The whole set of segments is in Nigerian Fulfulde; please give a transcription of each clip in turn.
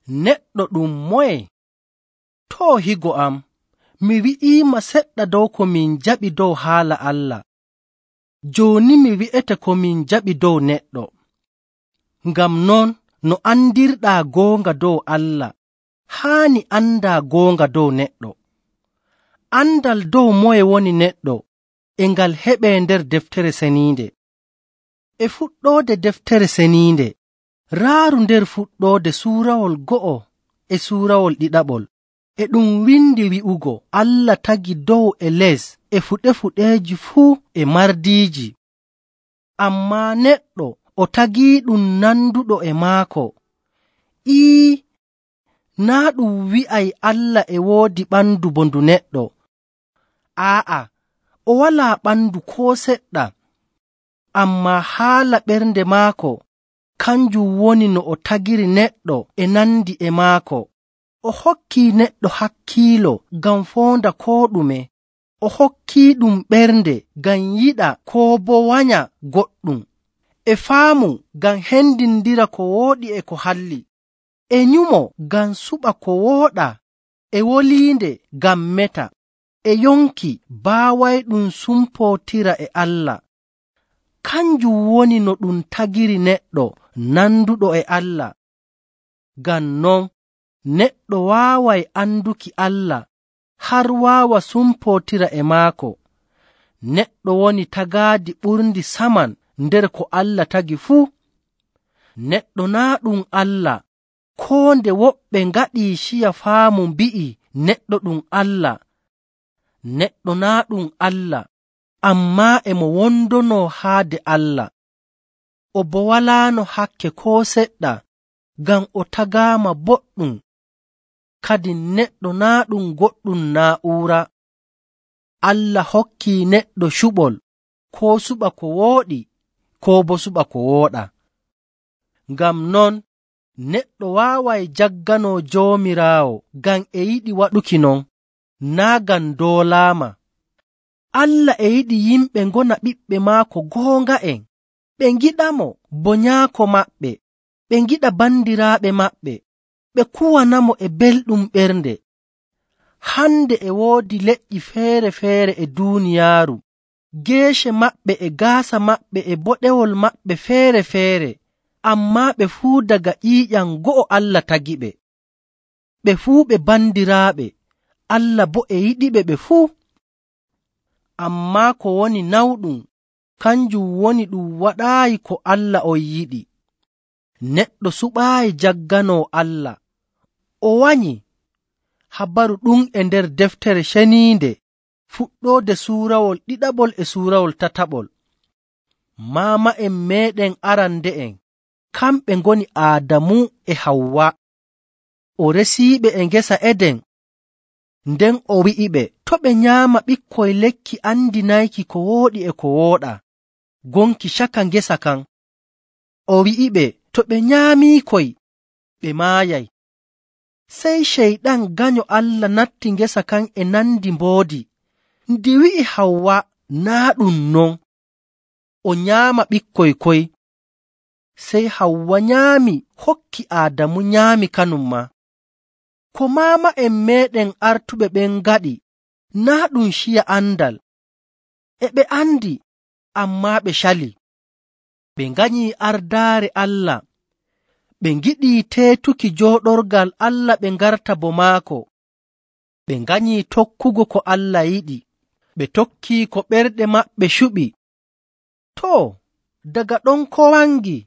neɗɗo ɗum moye? Too higo am, mi wi'iima seɗɗa dow ko min jaɓi dow haala Allah. Jooni mi wi'ete ko min jaɓi dow neɗɗo. Ngam non no andirɗaa goonga dow Allah, haani andaa goonga dow neɗɗo. Andal dow moye woni neɗɗo e ngal heɓee nder deftere seniinde. E fuɗɗoode deftere seniinde, raaru nder fuɗɗoode suurawol 2 e suurawol 2, e ɗum windi wi'ugo Allah tagi dow e les e fuɗeeji fuu e mardiiji. Ammaa neɗɗo o tagiiɗum nanduɗo e maako. Naa ɗum wi'ay Allah e woodi ɓandu bo ndu neɗɗo. Aa'a, o walaa ɓandu koo seɗɗa. Ammaa haala ɓernde maako kanjum woni no o tagiri neɗɗo e nandi e maako. O hokkii neɗɗo hakkiilo ngam foonda koo ɗume. O hokkii ɗum ɓernde ngam yiɗa koo boo wanya goɗɗum, e faamu ngam hendindira ko wooɗi e ko halli, e nyumo ngam suɓa ko wooɗa, e woliinde ngam meta, e yonki baawayɗum sumpootira e Allah. Kanjum woni no ɗum tagiri neɗɗo nanduɗo e Allah. Ngam non neɗɗo waaway anduki Allah har waawa sumpootira e maako. Neɗɗo woni tagaadi ɓurndi saman nder ko Allah tagi fuu. Neɗɗo naa ɗum Allah, koo nde woɓɓe ngaɗii ciya faamu mbi'i neɗɗo ɗum Allah. Neɗɗo naa ɗum Allah, ammaa e mo wondonoo haade Allah. O bo walaano hakke koo seɗɗa, ngam o tagaama boɗɗum. Kadin neɗɗo naa ɗum goɗɗum naa'uura. Allah hokkii neɗɗo cuɓol, koo suɓa ko wooɗi, koo bo suɓa ko wooɗa. Ngam non neɗɗo waaway jagganoo Joomiraawo ngam e yiɗi waɗuki non, naa ngam doolaama. Allah e yiɗi yimɓe ngona ɓiɓɓe maako goonga'en, ɓe ngiɗamo bo nyaako maɓɓe, ɓe ngiɗa bandiraaɓe maɓɓe, ɓe kuwanamo e belɗum ɓernde. Hande e woodi leƴƴi feere-feere e duuniyaaru, geece maɓɓe e gaasa maɓɓe e boɗewol maɓɓe feere-feere, ammaa ɓe fuu daga ƴiiƴam go'o Allah tagiɓe. Ɓe fuu ɓe bandiraaɓe, Allah bo e yiɗiɓe ɓe fuu. Ammaa ko woni nawɗum kanjum woni ɗum waɗaayi ko Allah on yiɗi. Neɗɗo suɓaayi jagganoo Allah, o wanyi. Habaru ɗum e nder deftere ceniinde fuɗɗoode suurawol 2 e suurawol 3. Maama'en meeɗen arande'en kamɓe ngoni Aadamu e Hawwa. O resiiɓe e ngesa Eden, nden o wi'iɓe to' ɓe nyaama ɓikkoy lekki andinayki ko wooɗi e ko wooɗa gonki caka ngesa kan. O wi'iɓe to ɓe nyaamiikoy ɓe maayay. Sey Ceyɗan ganyo Allah natti ngesa kan e nandi mboodi. Ndi wi'i Hawwa naa ɗum non, o nyaama ɓikkoy koy. Sey Hawwa nyaami hokki Aadamu nyaami kanum maa. Ko maama'en meeɗen artuɓe ɓen ngaɗi naa ɗum ciya andal. E ɓe andi, ammaa ɓe cali. Ɓe nganyii ardaare Allah, ɓe ngiɗii teetuki jooɗorgal Allah ɓe ngarta bo maako. Ɓe nganyii tokkugo ko Allah yiɗi, ɓe tokkii ko ɓerɗe maɓɓe cuɓi. Too, daga ɗon ko wangi?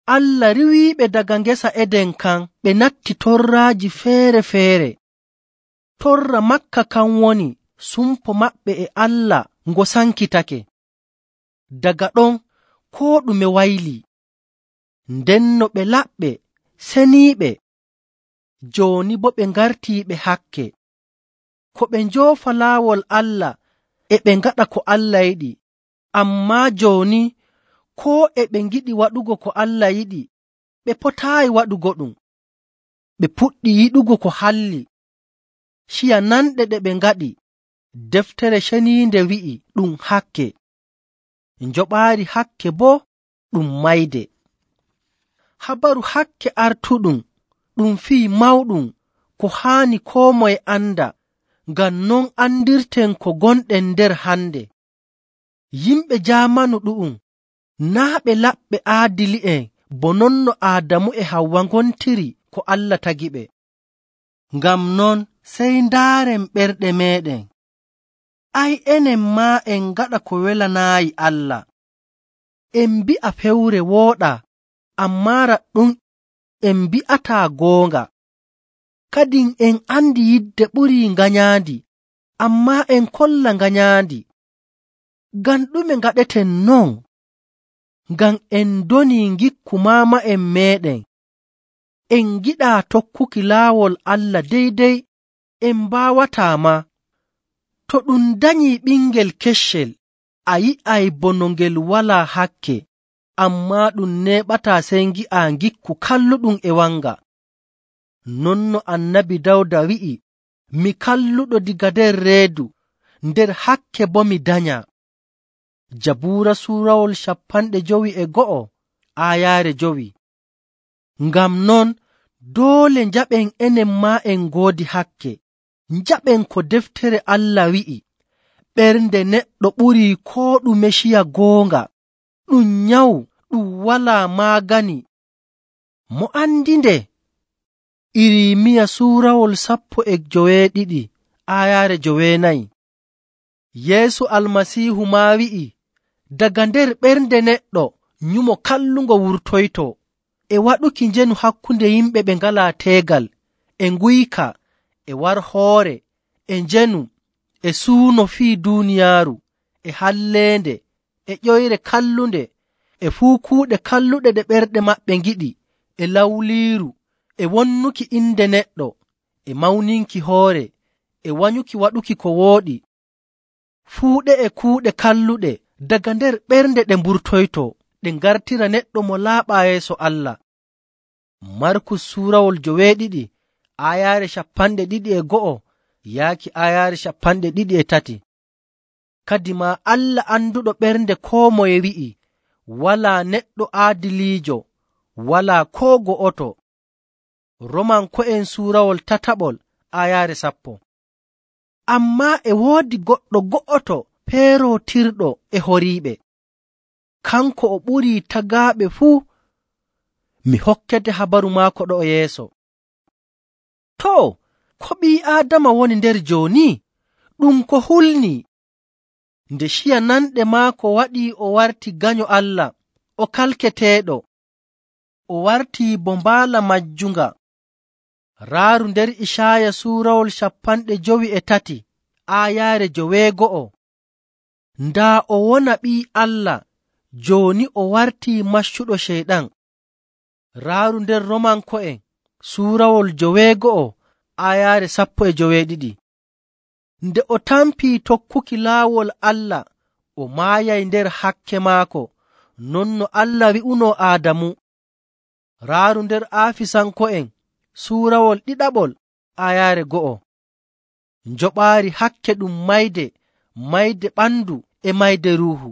Allah riwiiɓe daga ngesa Eden kan ɓe natti torraaji feere-feere. Torra Makka kan woni sumpo maɓɓe e Allah ngo sankitake. Daga ɗon koo ɗume waylii. Ndenno ɓe laɓɓe, seniiɓe. Jooni bo ɓe ngartiiɓe hakke. Ko ɓe njoofa laawol Allah e ɓe ngaɗa ko Allah yiɗi. Ammaa jooni koo e ɓe ngiɗi waɗugo ko Allah yiɗi, ɓe potaayi waɗugo ɗum. Ɓe puɗɗi yiɗugo ko halli. Ciya nanɗe ɗe ɓe ngaɗi, deftere ceniinde wi'i ɗum hakke. Njoɓaari hakke boo ɗum mayde. Habaru hakke artuɗum ɗum fii mawɗum ko haani koo moye anda, ngam non andirten ko gonɗen nder hande. Yimɓe jaamanu ɗu'um naa' ɓe laɓɓe aadili'en bo non no Aadamu e Hawwa ngontiri ko Allah tagiɓe. Ngam non sey ndaaren ɓerɗe meeɗen. Enen maa en ngaɗa ko welanaayi Allah. En mbi'a fewre wooɗaa, ammaa raɗɗum en mbi'ataa goonga. Kadin en andi yidde ɓurii nganyaandi, ammaa en kolla nganyaandi. Ngam ɗume ngaɗeten non? Ngam en donii ngikku maama'en meeɗen. En ngiɗaa tokkuki laawol Allah deydey, en mbaawataa maa. To ɗum danyii ɓingel keccel, a yi'ay bono ngel walaa hakke, ammaa ɗum neeɓataa sey ngi'aa ngikku kalluɗum e wanga. Non no Annabi Dawda wi'i, mi kalluɗo diga nder reedu, nder hakke boo mi danyaa. Jabuura suurawol 52 aayaare 5. Ngam non doole njaɓen enen maa en ngoodi hakke. Njaɓen ko deftere Allah wi'i, ɓernde neɗɗo ɓurii koo ɗume ciya goonga, ɗum nyawu, ɗum walaa maagani. Mo andi nde? Irimiya suurawol 12 aayaare 9. Yeesu Almasiihu maa wi'i, daga nder ɓernde neɗɗo nyumo kallungo wurtoytoo, e waɗuki njenu hakkunde yimɓe ɓe ngalaa teegal, e nguyka, e warhoore, e njenu, e suuno fii duuniyaaru, e halleende, e ƴoyre kallunde, e fuu kuuɗe kalluɗe ɗe ɓerɗe maɓɓe ngiɗi, e lawliiru, e wonnuki inde neɗɗo, e mawninki hoore, e wanyuki waɗuki ko wooɗi. Fuu ɗe kuuɗe kalluɗe daga nder ɓernde ɗe mburtoytoo, ɗe ngartira neɗɗo mo laaɓaa yeeso Allah. Markus suurawol 7 aayaare 21 yaaki aayaare 23. Kadimaa Allah anduɗo ɓernde koo moye wi'i, walaa neɗɗo aadiliijo, walaa koo go'oto. Romanko'en suurawol 3 aayaare 10. Ammaa e woodi goɗɗo go'oto peerootirɗo e horiiɓe. Kanko o ɓurii tagaaɓe fuu. Mi hokkete habaru maako ɗo yeeso. Too, ko ɓii Aadama woni nder jooni? Ɗum ko hulnii. Nde ciya nanɗe maako waɗii o warti ganyo Allah, o kalketeeɗo. O wartii bo mbaala majjunga. Raaru nder Icaaya suurawol 53 aayaare 9. Ndaa o wona ɓii Allah, jooni o wartii maccuɗo Ceyɗan. Raaru nder Romanko'en suurawol 9 aayaare 12. Nde o tampii tokkuki laawol Allah, o maayay nder hakke maako, non no Allah wi'unoo Aadamu. Raaru nder Aafisanko'en suurawol 2 aayaare 1. Njoɓaari hakke ɗum mayde ɓandu e mayde ruuhu.